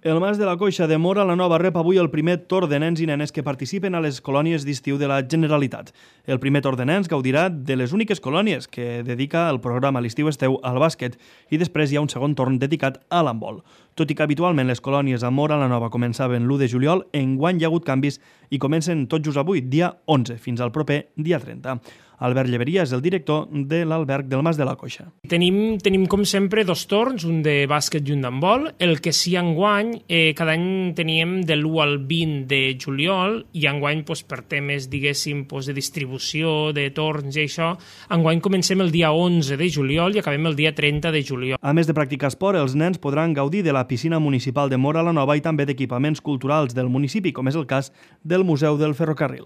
El Mas de la Coixa de Móra la Nova rep avui el primer torn de nens i nenes que participen a les colònies d'estiu de la Generalitat. El primer torn de nens gaudirà de les úniques colònies que dedica el programa L'Estiu Esteu al bàsquet i després hi ha un segon torn dedicat a l'handbol. Tot i que habitualment les colònies a Móra la Nova començaven l'1 de juliol, enguany hi ha hagut canvis i comencen tot just avui, dia 11, fins al proper dia 30. Albert Lleveria és el director de l'alberg del Mas de la Coixa. Tenim com sempre dos torns, un de bàsquet i un d'handbol. El que sí enguany, cada any teníem de l'1 al 20 de juliol i enguany per temes, diguéssim, de distribució, de torns i això, enguany comencem el dia 11 de juliol i acabem el dia 30 de juliol. A més de practicar esport, els nens podran gaudir de la piscina municipal de Móra la Nova i també d'equipaments culturals del municipi, com és el cas del Museu del Ferrocarril.